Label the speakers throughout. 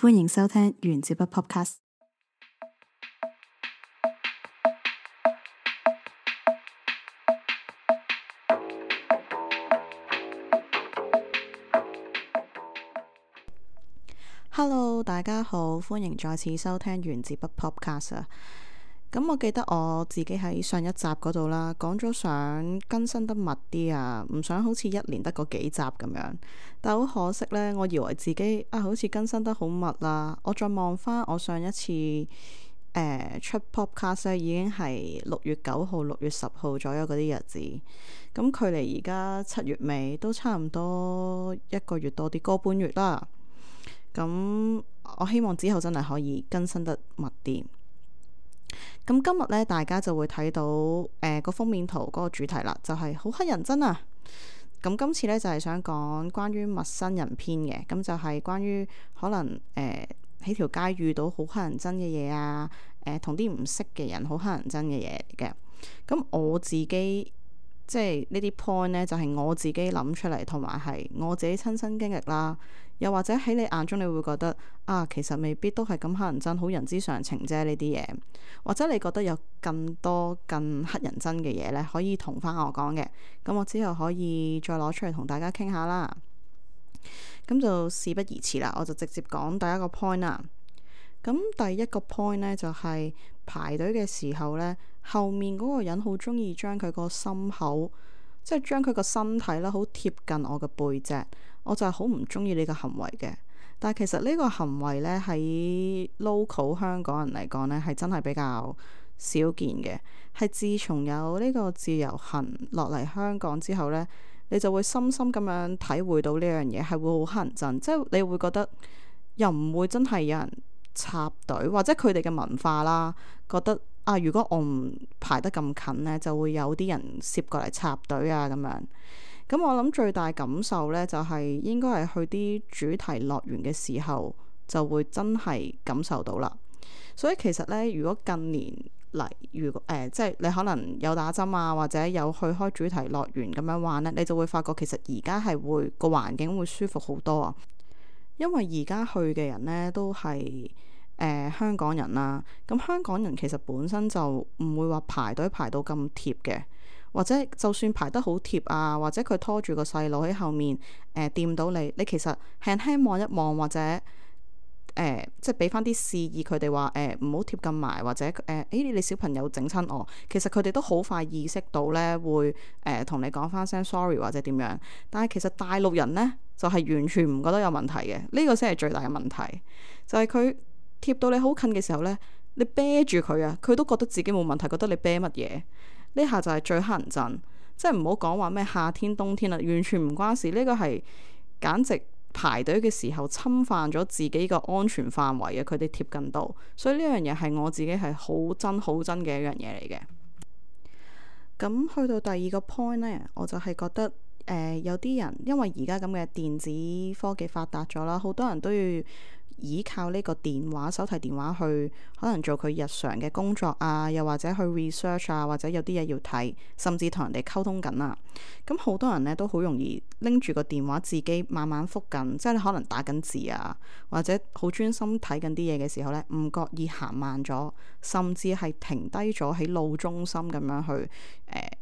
Speaker 1: 歡迎收聽原子筆 Podcast。Hello， 大家好，歡迎再次收聽原子筆 Podcast 啊。咁我記得我自己喺上一集嗰度啦，講咗想更新得密啲啊，唔想好似一年得嗰幾集咁樣。但係好可惜呢，我以為自己好似更新得好密啦。我再望翻我上一次出 Podcast 已經係6月9號、6月10號左右嗰啲日子。咁距離而家7月尾都差唔多1個月多啲，個半月啦。咁我希望之後真係可以更新得密啲。咁今日咧，大家就會睇到個封面圖嗰個主題啦，就係好乞人憎啊！咁今次咧就係想講關於陌生人篇嘅，咁就係關於可能喺條街遇到好乞人憎嘅嘢啊，同啲唔識嘅人好乞人憎嘅嘢嚟嘅。咁我自己即係呢啲 point 咧，就係我自己諗出嚟，同埋係我自己親身經歷啦。又或者喺你眼中，你會覺得其實未必都係咁乞人憎，好人之常情啫呢啲嘢。或者你覺得有更多更乞人憎嘅嘢呢，可以同翻我講嘅。咁我之後可以再攞出嚟同大家傾下啦。咁就事不宜遲啦，我就直接講第一個 point 啦。咁第一個 point 呢，就係排隊嘅時候呢，後面嗰個人好中意將佢個心口，即係將佢個身體啦，好貼近我嘅背脊。我就係好唔中意呢個行為嘅，但係其實呢個行為呢，喺 local 香港人嚟講呢，係真係比較少見嘅。係自從有呢個自由行落嚟香港之後呢，你就會深深咁樣體會到呢樣嘢係會好乞人憎，即係你會覺得又唔會真係有人插隊，或者佢哋嘅文化啦，覺得如果我唔排得咁近呢，就會有啲人攝過嚟插隊啊咁樣。咁我諗最大感受呢，就係應該係去啲主題樂園嘅時候，就會真係感受到啦。所以其實呢，如果近年嚟，即係你可能有打針啊，或者有去開主題樂園咁樣玩呢，你就會發覺其實而家係會個環境會舒服好多啊。因為而家去嘅人呢，都係香港人啦。咁香港人其實本身就唔會話排隊排到咁貼嘅。或者就算排得好貼啊，或者佢拖住個細路喺後面掂到你，你其實輕輕望一望，或者即係俾翻啲示意佢哋話唔好貼咁埋，或者你小朋友整親我，其實佢哋都好快意識到呢，會同你講翻聲 sorry 或者點樣。但係其實大陸人呢，就係完全唔覺得有問題嘅，呢個先係最大嘅問題，就係佢貼到你好近嘅時候呢，你啤住佢啊，佢都覺得自己冇問題，覺得你啤乜嘢。呢下就係最乞人憎，即係唔好講話咩夏天冬天啦，完全唔關事。呢個係簡直排隊嘅時候侵犯咗自己個安全範圍嘅，佢哋貼近到，所以呢樣嘢係我自己係好憎好憎嘅一樣嘢嚟嘅。咁去到第二個 point 呢，我就係覺得有啲人因為而家咁嘅電子科技發達咗啦，好多人都要依靠呢個電話、手提電話去可能做佢日常嘅工作啊，又或者去 research 啊，或者有啲嘢要睇，甚至同人哋溝通緊啊。咁好多人呢都好容易拎住個電話自己慢慢覆緊，即係你可能打緊字啊，或者好專心睇緊啲嘢嘅時候呢，唔覺意行慢咗，甚至係停低咗喺路中心咁樣去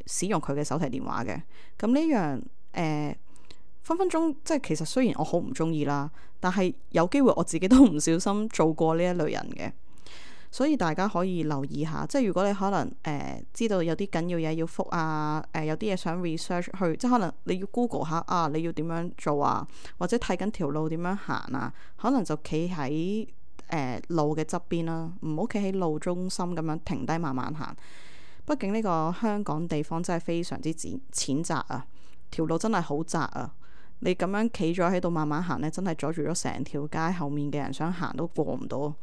Speaker 1: 使用佢嘅手提電話嘅。咁呢樣分分鐘即係其實雖然我好唔中意啦，但係有機會我自己都唔小心做過呢一類人嘅，所以大家可以留意下，即係如果你可能知道有啲緊要嘢要覆啊，有啲嘢想 research 去，即係可能你要 Google 下你要點樣做啊，或者睇緊條路點樣行啊，可能就企喺路嘅側邊啦，唔好企喺路中心咁樣停低慢慢行。畢竟呢個香港地方真係非常之淺窄啊，條路真係好窄啊。你咁樣企咗喺度慢慢行呢，真係阻住咗成條街後面嘅人想行都過唔到。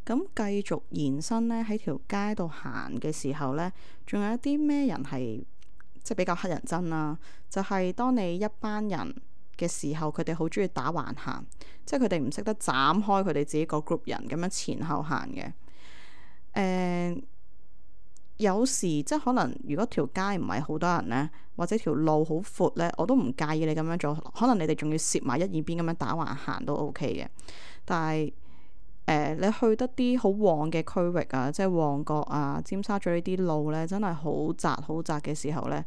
Speaker 1: 咁繼續延伸呢，喺條街度行嘅時候呢，仲有一啲咩人係即係比較乞人憎啦？就係當你一班人嘅時候，佢哋好中意打橫行，即係佢哋唔識得斬開佢哋自己個 group 人咁樣前後行嘅。有時即係可能如果條街唔係好多人呢，或者條路好闊呢，我都唔介意你咁樣做。可能你哋仲要攝埋一二邊咁樣打橫行都 OK 嘅。但係你去得啲好旺嘅區域啊，即係旺角啊、尖沙咀呢啲路呢，真係好窄好窄嘅時候呢，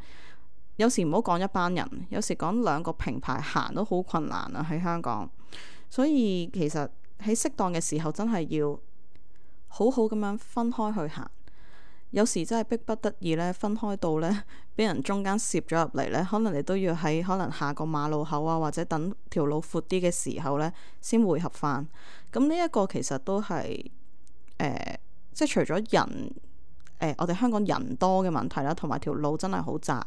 Speaker 1: 有時唔好講一班人，有時講兩個平排行都好困難啊喺香港。所以其實喺適當嘅時候，真係要好好咁樣分開去行。有時真係逼不得已呢，分開到呢，俾人中間攝咗入嚟呢，可能你都要喺可能下個馬路口啊，或者等條路闊啲嘅時候呢，先匯合翻。咁呢一個其實都係即係除咗人我哋香港人多嘅問題啦，同埋條路真係好窄，呢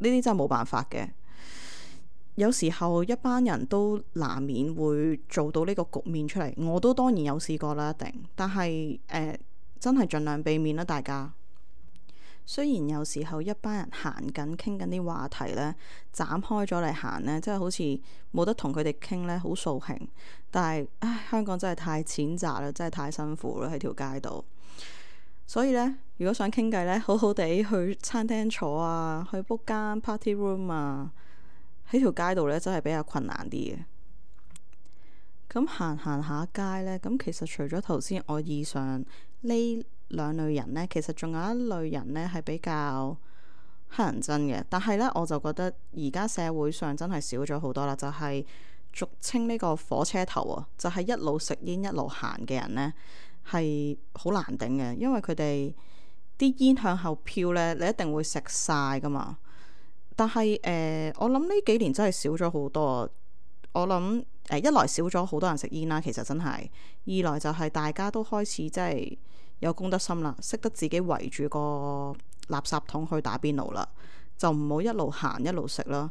Speaker 1: 啲真係冇辦法嘅。有時候一班人都難免會做到呢個局面出嚟，我都當然有試過啦，一定。但係真係盡量避免啦，大家。雖然有時候一班人行緊傾緊啲話題呢，斬開咗嚟行呢，真係好似冇得同佢哋傾呢，好掃興。但係香港真係太淺窄啦，真係太辛苦啦喺條街度。所以呢，如果想傾偈呢，好好地去餐廳坐啊，去 book 間 party room 啊，喺條街度呢，真係比較困難啲嘅。咁行下街呢，咁其實除咗頭先我以上呢兩類人呢，其實仲有一類人呢係比較乞人憎嘅。但係呢，我就覺得而家社會上真係少咗好多啦，就係俗稱呢個火車頭啊，就係一路食煙一路行嘅人呢，係好難頂嘅，因為佢哋啲煙向後飄呢，你一定會食晒噶嘛。但係我諗呢幾年真係少咗好多。我諗一來少咗好多人食煙啦，其實真係；二來就係大家都開始即係有公德心啦，識得自己圍住個垃圾桶去打邊爐啦，就唔好一路行一路食啦。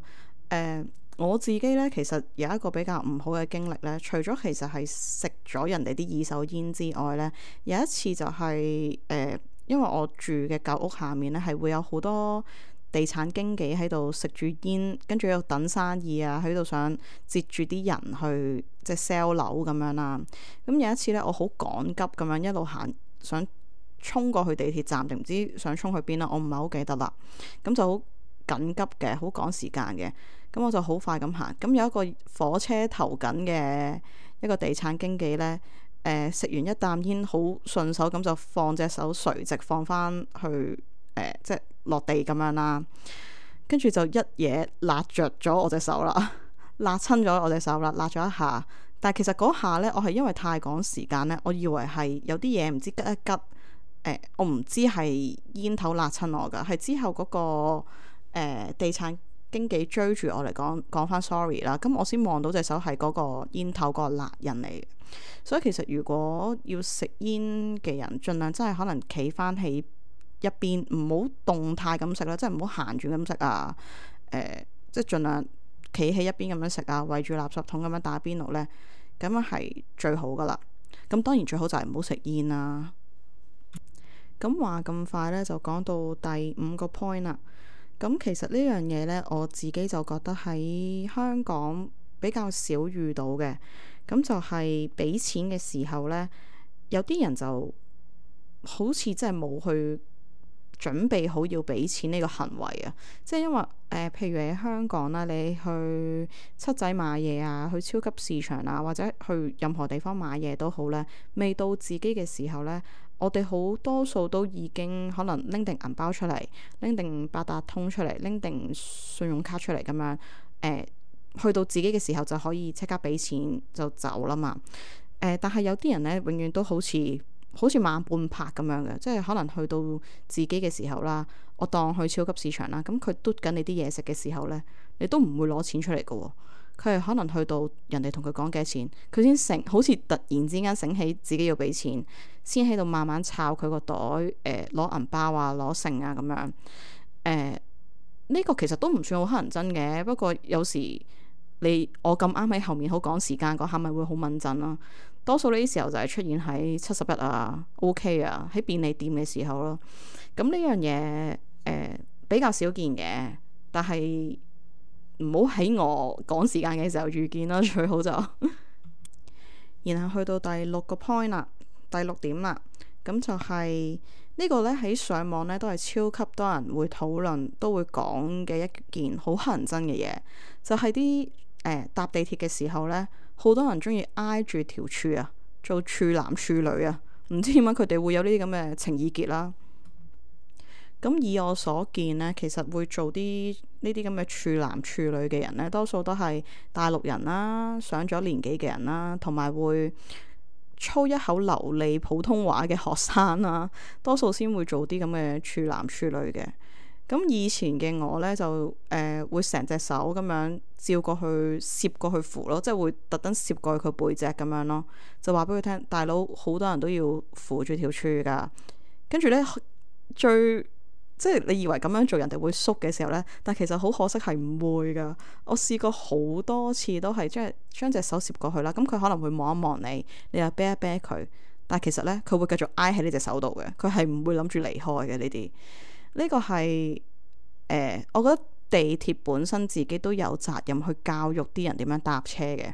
Speaker 1: 我自己呢，其實有一個比較唔好嘅經歷呢，除咗其實係食咗人哋啲二手煙之外呢，有一次就係因為我住嘅舊屋下面呢，係會有好多地產經紀喺度食住煙，跟住喺度等生意啊，喺度想截住啲人去即係 sell 樓咁樣啦。咁有一次呢，我好趕急咁樣一路行，想衝過去地鐵站定唔知想衝去邊啦，我唔係好記得啦。咁就好緊急嘅，好趕時間嘅。咁我就好快咁行。咁有一個火車頭緊嘅一個地產經紀呢，食完一啖煙，好順手咁就放隻手垂直放翻去即係落地咁樣啦，跟住就一嘢辣着咗我隻手啦，辣親咗我隻手啦，辣咗一下。但係其實嗰下呢，我係因為太趕時間呢，我以為係有啲嘢唔知吉一吉，我唔知係煙頭辣親我噶，係之後嗰個地產經紀追住我嚟講翻 sorry 啦，咁我先望到隻手係嗰個煙頭個辣印嚟嘅。所以其實如果要食煙嘅人，盡量真係可能企翻起一邊，唔好動態咁食啦，即係唔好行住咁食啊。即係盡量企喺一邊咁樣食啊，圍住垃圾桶咁樣打邊爐呢，咁樣係最好噶啦。咁當然最好就係唔好食煙啦。咁話咁快呢，就講到第5個 point 啦。咁其實呢樣嘢呢，我自己就覺得喺香港比較少遇到嘅。咁就係俾錢嘅時候呢，有啲人就好似真係冇去準備好要俾錢呢個行為啊。即係因為譬如喺香港啦，你去七仔買嘢啊，去超級市場啊，或者去任何地方買嘢都好呢，未到自己嘅時候呢，我哋好多數都已經可能拎定銀包出嚟，拎定八達通出嚟，拎定信用卡出嚟咁樣，去到自己嘅時候就可以即刻俾錢就走啦嘛。但係有啲人呢，永遠都好似慢半拍咁樣嘅，即係可能去到自己嘅時候啦，我當去超級市場啦，咁佢嘟緊你啲嘢食嘅時候呢，你都唔會攞錢出嚟嘅喎。佢係可能去到人哋同佢講幾多錢，佢先好似突然之間醒起自己要俾錢，先喺度慢慢抄佢個袋，攞銀包啊，攞剩啊咁樣。呢個其實都唔算好乞人憎嘅，不過有時我咁啱喺後面好趕時間嗰下，咪會好敏陣咯。多數呢啲時候就係出現喺71啊、OK 啊，喺便利店嘅時候咯。咁呢樣嘢比較少見嘅，但係唔好喺我趕時間嘅時候遇見啦，最好就。然後去到第6個 point 啦，第6點啦，咁就係呢個呢，喺上網呢都係超級多人會討論，都會講嘅一件好乞人憎嘅嘢，就係啲搭地鐵嘅時候呢，好多人中意挨住條柱啊，做處男處女啊，唔知點解佢哋會有呢啲咁嘅情意結啦。咁以我所見呢，其實會做啲呢啲咁嘅處男處女嘅人呢，多數都係大陸人啦，上咗年紀嘅人啦，同埋會操一口流利普通話嘅學生啦，多數先會做啲咁嘅處男處女嘅。咁以前嘅我呢，就會成隻手咁樣照過去攝過去扶咯，即係會特登攝過去佢背脊咁樣咯，就話俾佢聽，大佬好多人都要扶住條柱噶。跟住呢，即係你以為咁樣做人哋會縮嘅時候呢，但其實好可惜係唔會噶。我試過好多次都係將隻手攝過去啦，咁佢可能會望一望你，你又啤一啤佢，但係其實呢，佢會繼續挨喺呢隻手度嘅，佢係唔會諗住離開嘅。呢啲呢個係我覺得地鐵本身自己都有責任去教育啲人點樣搭車嘅。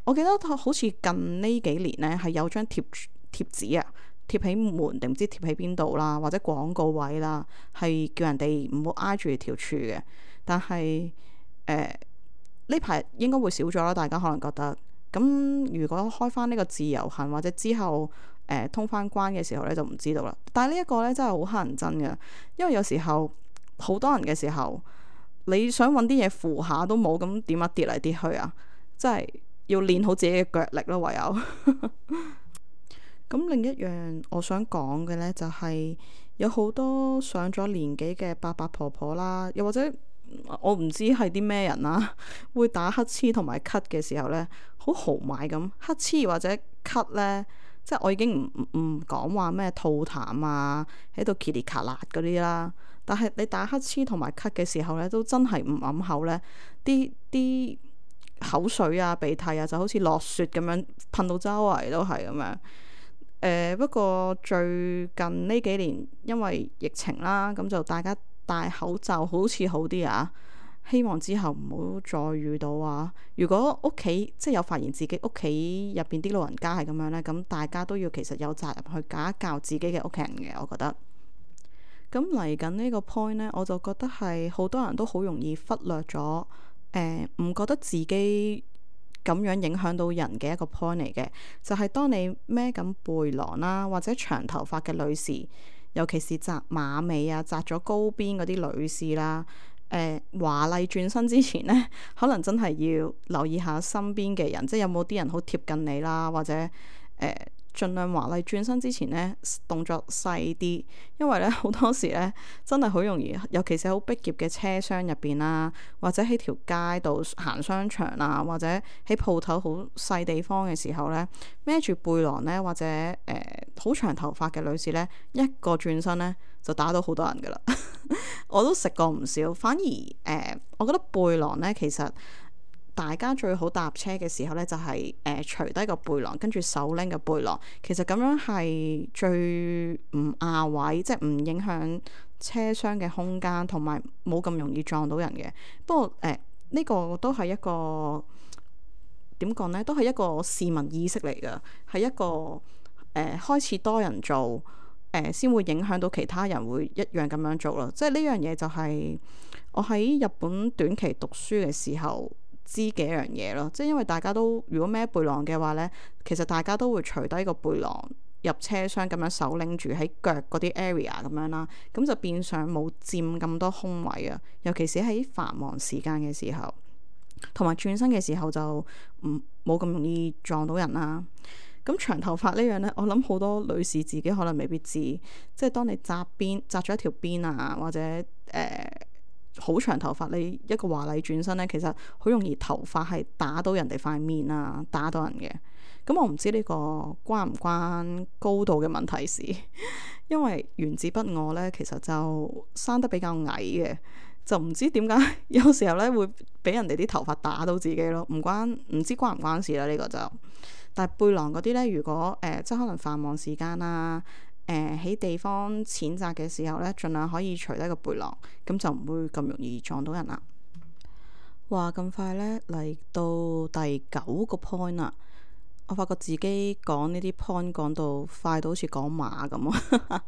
Speaker 1: 我記得好似近呢幾年呢，係有張貼紙啊，貼喺門定唔知貼喺邊度啦，或者廣告位啦，係叫人哋唔好挨住條柱嘅。但係呢排應該會少咗啦，大家可能覺得。咁如果開翻呢個自由行或者之後通翻關嘅時候呢，就唔知道啦。但係呢一個呢，真係好乞人憎嘅，因為有時候好多人嘅時候，你想揾啲嘢扶下都冇，咁點啊，跌嚟跌去啊，真係要練好自己嘅腳力咯，唯有。咁另一樣我想講嘅呢，就係有好多上咗年紀嘅伯伯婆婆啦，又或者我唔知係啲咩人啦，會打乞嗤同埋咳嘅時候呢，好豪邁咁乞嗤或者咳呢，即係我已經唔講話咩吐痰啊，喺度噼里卡啦嗰啲啦。但係你打乞嗤同埋咳嘅時候呢，都真係唔揞口呢，啲口水啊鼻涕啊就好似落雪咁樣噴到周圍都係咁樣。不過最近呢幾年因為疫情啦，咁就大家戴口罩好似好啲啊。希望之後唔好再遇到啊。如果屋企即係有發現自己屋企入邊啲老人家係咁樣呢，咁大家都要其實有責任去教一教自己嘅屋企人嘅，我覺得。咁嚟緊呢個 point 呢，我就覺得係好多人都好容易忽略咗，唔覺得自己咁樣影響到人嘅一個 point 嚟嘅，就係當你孭緊背囊啦，或者長頭髮嘅女士，尤其是紮馬尾啊、紮咗高邊嗰啲女士啦，華麗轉身之前呢，可能真係要留意下身邊嘅人，即係有冇啲人好貼近你啦，或者盡量華麗轉身之前呢，動作細啲，因為呢好多時呢，真係好容易，尤其是好逼狹嘅車廂入邊啦，或者喺條街度行商場啊，或者喺鋪頭好細地方嘅時候呢，孭住背囊呢，或者好長頭髮嘅女士呢，一個轉身呢，就打到好多人噶啦。我都食過唔少，反而我覺得背囊呢，其實大家最好搭車嘅時候呢，就係除低個背囊，跟住手拎個背囊。其實咁樣係最唔亞位，即係唔影響車廂嘅空間，同埋冇咁容易撞到人嘅。不過呢個都係一個點講呢？都係一個市民意識嚟㗎，係一個開始多人做先會影響到其他人會一樣咁樣做咯。即係呢樣嘢就係我喺日本短期讀書嘅時候知嘅一樣嘢咯，即係因為大家都如果孭背囊嘅話呢，其實大家都會除低個背囊入車廂咁樣手拎住喺腳嗰啲 area 咁樣啦，咁就變相冇佔咁多空位啊。尤其是喺繁忙時間嘅時候，同埋轉身嘅時候就冇咁容易撞到人啦。咁長頭髮呢樣呢，我諗好多女士自己可能未必知，即係當你紮咗一條辮啊，或者好長頭髮，你一個華麗轉身呢，其實好容易頭髮係打到人哋塊面啊，打到人嘅。咁我唔知呢個關唔關高度嘅問題事，因為原子筆我呢，其實就生得比較矮嘅，就唔知點解有時候呢會俾人哋啲頭髮打到自己咯，唔知關唔關事啦呢個就。但係背囊嗰啲呢，如果即係可能繁忙時間啦，喺地方淺窄嘅時候呢，盡量可以除低個背囊，咁就唔會咁容易撞到人啦。話咁快呢，嚟到第9個 point 啦，我發覺自己講呢啲 point 講到快到好似講馬咁啊。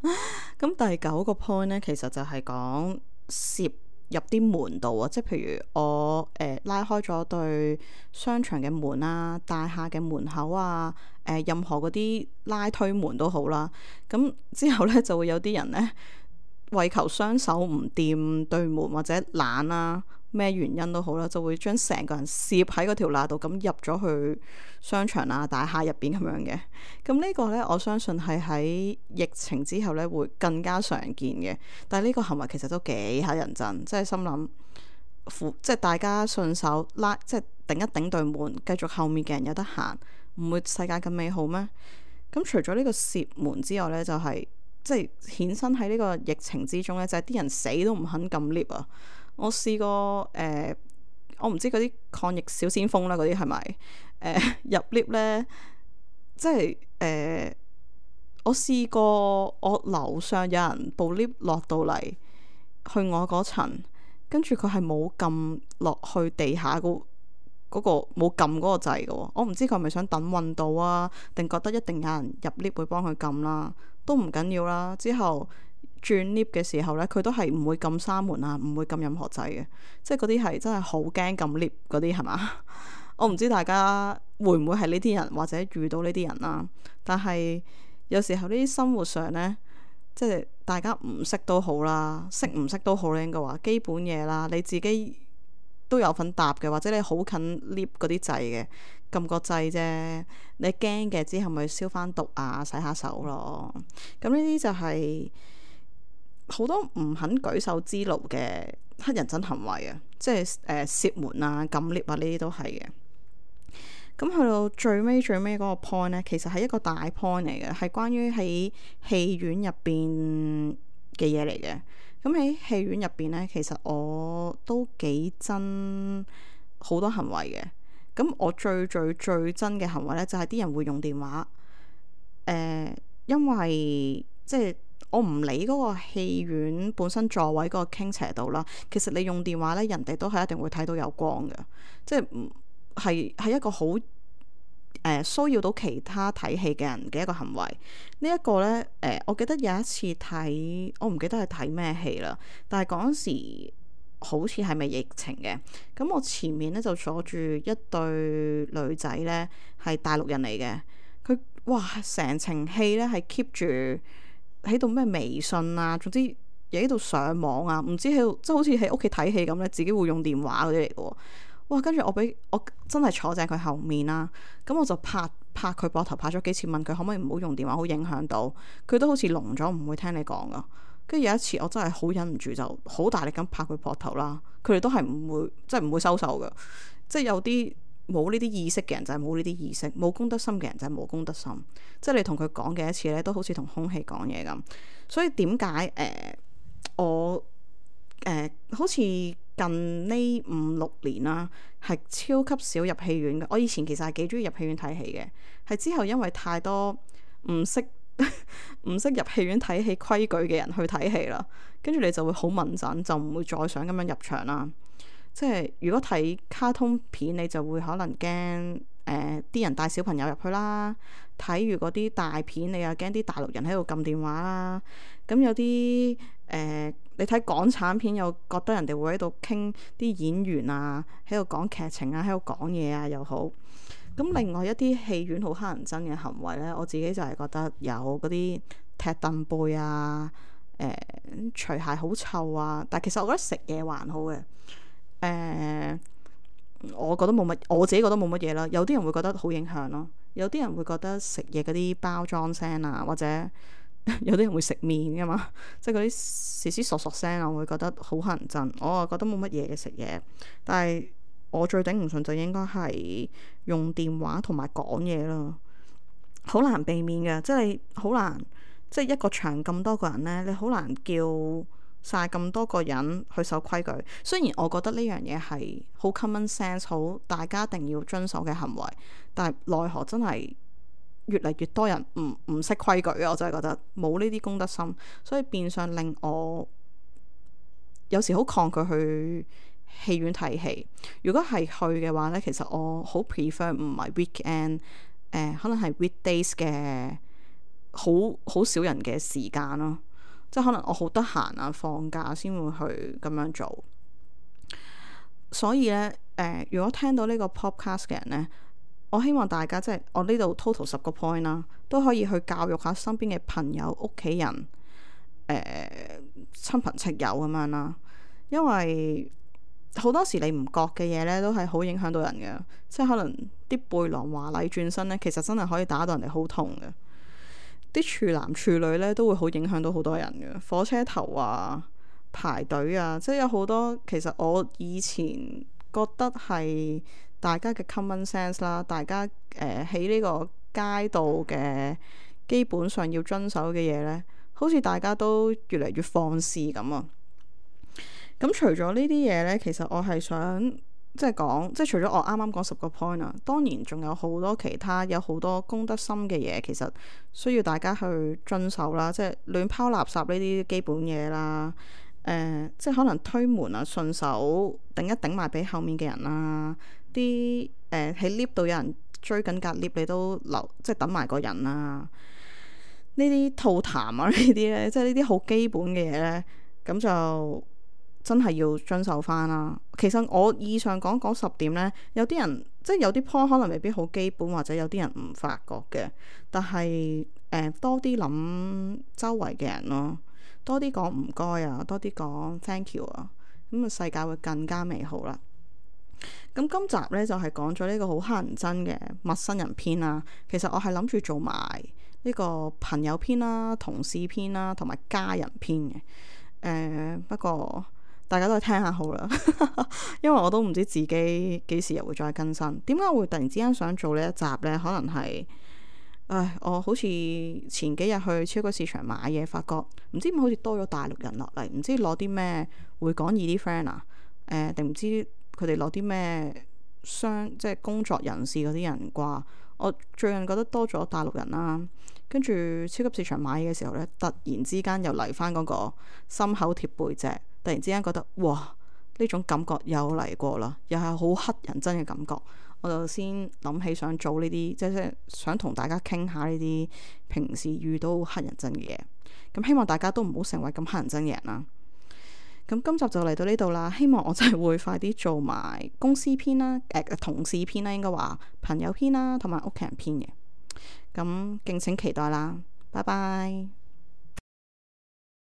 Speaker 1: 咁第9個 point 呢，其實就係講攝入啲門度啊，即係譬如我拉開咗對商場嘅門啊、大廈嘅門口啊、任何嗰啲拉推門都好啦。咁之後呢，就會有啲人呢，為求雙手唔掂對門或者懶啦，咩原因都好啦，就會將成個人攝喺嗰條罅度咁入咗去商場啊、大廈入邊咁樣嘅。咁呢個呢，我相信係喺疫情之後呢會更加常見嘅。但係呢個行為其實都幾乞人憎，即係心諗，即係大家順手拉，即係頂一頂對門，繼續後面嘅人有得行，唔會世界咁美好咩？咁除咗呢個攝門之外呢，就係即係衍生喺呢個疫情之中呢，就係啲人死都唔肯撳 lift 啊！我試過我唔知嗰啲抗疫小先鋒啦，嗰啲係咪入 lift 呢？即係我試過我樓上有人部 lift 落到嚟去我嗰層，跟住佢係冇撳落去地下嗰個冇撳嗰個掣嘅喎。我唔知佢係咪想等運到啊，定覺得一定有人入 lift 會幫佢撳啦，都唔緊要啦。之後轉 lift 嘅時候呢，佢都係唔會撳閂門啊，唔會撳任何掣嘅，即係嗰啲係真係好驚撳 lift 嗰啲係嘛？我唔知大家會唔會係呢啲人，或者遇到呢啲人啦。但係有時候呢啲生活上呢，即係大家唔識都好啦，識唔識都好咧，應該話基本嘢啦，你自己都有份搭嘅，或者你好近 lift 嗰啲掣嘅，撳個掣啫。你驚嘅之後咪消翻毒啊，洗下手咯。咁呢啲就係好多唔肯舉手之勞嘅乞人憎行為啊，即係攝門啊、撳 lift 啊，呢啲都係嘅。咁去到最尾嗰個 point 呢，其實係一個大 point 嚟嘅，係關於喺戲院入邊嘅嘢嚟嘅。咁喺戲院入邊呢，其實我都幾憎好多行為嘅。咁我最憎嘅行為呢，就係啲人會用電話。因為即係我唔理嗰個戲院本身座位嗰個傾斜度啦，其實你用電話呢，人哋都係一定會睇到有光嘅，即係係一個好騷擾到其他睇戲嘅人嘅一個行為。呢一個呢，我記得有一次睇，我唔記得係睇咩戲啦，但係嗰陣時好似係咪疫情嘅？咁我前面呢，就坐住一對女仔呢，係大陸人嚟嘅。佢哇成程戲呢，係 keep 住喺度咩微信啊，總之又喺度上網啊，唔知喺度即係好似喺屋企睇戲咁呢，自己會用電話嗰啲嚟嘅。哇！跟住我真係坐正佢後面啦，咁我就拍佢膊頭，拍咗幾次，問佢可唔可以唔好用電話，好影響到佢，都好似聾咗，唔會聽你講噶。跟住有一次我真係好忍唔住，就好大力咁拍佢膊頭啦。佢哋都係唔會收手噶，即係有啲冇呢啲意識嘅人就係冇呢啲意識，冇公德心嘅人就係冇公德心。即係你同佢講嘅一次呢，都好似同空氣講嘢咁。所以點解我好似近呢5-6年啦，係超級少入戲院嘅。我以前其實係幾中意入戲院睇戲嘅，係之後因為太多唔識入戲院睇戲規矩嘅人去睇戲啦，跟住你就會好敏感，就唔會再想咁樣入場啦。即係如果睇卡通片，你就會可能驚啲人帶小朋友入去啦。睇完嗰啲大片，你又驚啲大陸人喺度撳電話啦。咁有啲你睇港產片又覺得人哋會喺度傾啲演員啊，喺度講劇情啊，喺度講嘢啊又好。咁另外一啲戲院好乞人憎嘅行為呢，我自己就係覺得有嗰啲踢凳背啊，除鞋好臭啊。但其實我覺得食嘢還好嘅，我覺得冇乜，我自己覺得冇乜嘢啦。有啲人會覺得好影響咯，有啲人會覺得食嘢嗰啲包裝聲啊，或者有啲人會食麵噶嘛，即係嗰啲嘶嘶索索聲啊，我會覺得好乞人憎。我啊覺得冇乜嘢嘅食嘢，但係我最頂唔順就應該係用電話同埋講嘢咯，好難避免嘅，即係你好難，即係一個場咁多個人呢，你好難叫晒咁多個人去守規矩。雖然我覺得呢樣嘢係好 common sense， 好大家一定要遵守嘅行為，但係奈何真係越嚟越多人唔識規矩啊！我真係覺得冇呢啲公德心，所以變相令我有時好抗拒去戲院睇戲。如果係去嘅話呢，其實我好 prefer 唔係 weekend，可能係 weekdays 嘅好少人嘅時間咯。即係可能我好得閒啊，放假先會去咁樣做。所以呢，如果聽到呢個 podcast 嘅人呢，我希望大家即係我呢度 total 10個 point 啦，都可以去教育下身邊嘅朋友、屋企人、親朋戚友咁樣啦。因為好多時你唔覺嘅嘢呢，都係好影響到人嘅。即係可能啲背囊華麗轉身呢，其實真係可以打到人哋好痛嘅。啲處男處女呢，都會好影響到好多人嘅。火車頭啊，排隊啊，即係有好多。其實我以前覺得係大家嘅 common sense 啦，大家喺呢個街道嘅基本上要遵守嘅嘢呢，好似大家都越嚟越放肆咁啊。咁除咗呢啲嘢呢，其實我係想即係講，即係除咗我啱啱講10個 point 啊，當然仲有好多其他，有好多公德心嘅嘢，其實需要大家去遵守啦。即係亂拋垃圾呢啲基本嘢啦，即係可能推門啊，順手頂一頂埋俾後面嘅人啦。啲喺 lift 度有人追緊隔 lift，你都留即係等埋個人啦。呢啲吐痰啊，呢啲呢，即係呢啲好基本嘅嘢呢，咁就真係要遵守翻啦。其實我以上講10點呢，有啲人即係有啲 point 可能未必好基本，或者有啲人唔發覺嘅。但係多啲諗周圍嘅人咯，多啲講唔該啊，多啲講 thank you 啊，咁啊世界會更加美好啦。咁今集呢，就係講咗呢個好乞人憎嘅陌生人篇啦。其實我係諗住做埋呢個朋友篇啦、同事篇啦，同埋家人篇嘅。不過大家都係聽下好啦，因為我都唔知自己幾時又會再更新。點解我會突然之間想做呢一集呢？可能係我好似前幾日去超級市場買嘢，發覺唔知點好似多咗大陸人落嚟，唔知攞啲咩會講易啲 friend 啊？定唔知佢哋攞啲咩即係工作人士嗰啲人啩？我最近覺得多咗大陸人啦，跟住超級市場買嘢嘅時候呢，突然之間又嚟翻嗰個心口貼背脊，突然之間覺得哇，呢種感覺又嚟過啦，又係好乞人憎嘅感覺。我就先諗起想做呢啲，即係想同大家傾下呢啲平時遇到乞人憎嘅嘢。咁希望大家都唔好成為咁乞人憎嘅人啦。咁今集就嚟到呢度啦，希望我真係會快啲做埋公司篇啦，同事篇啦，應該話朋友篇啦，同埋屋企人篇嘅。咁敬請期待啦，拜拜。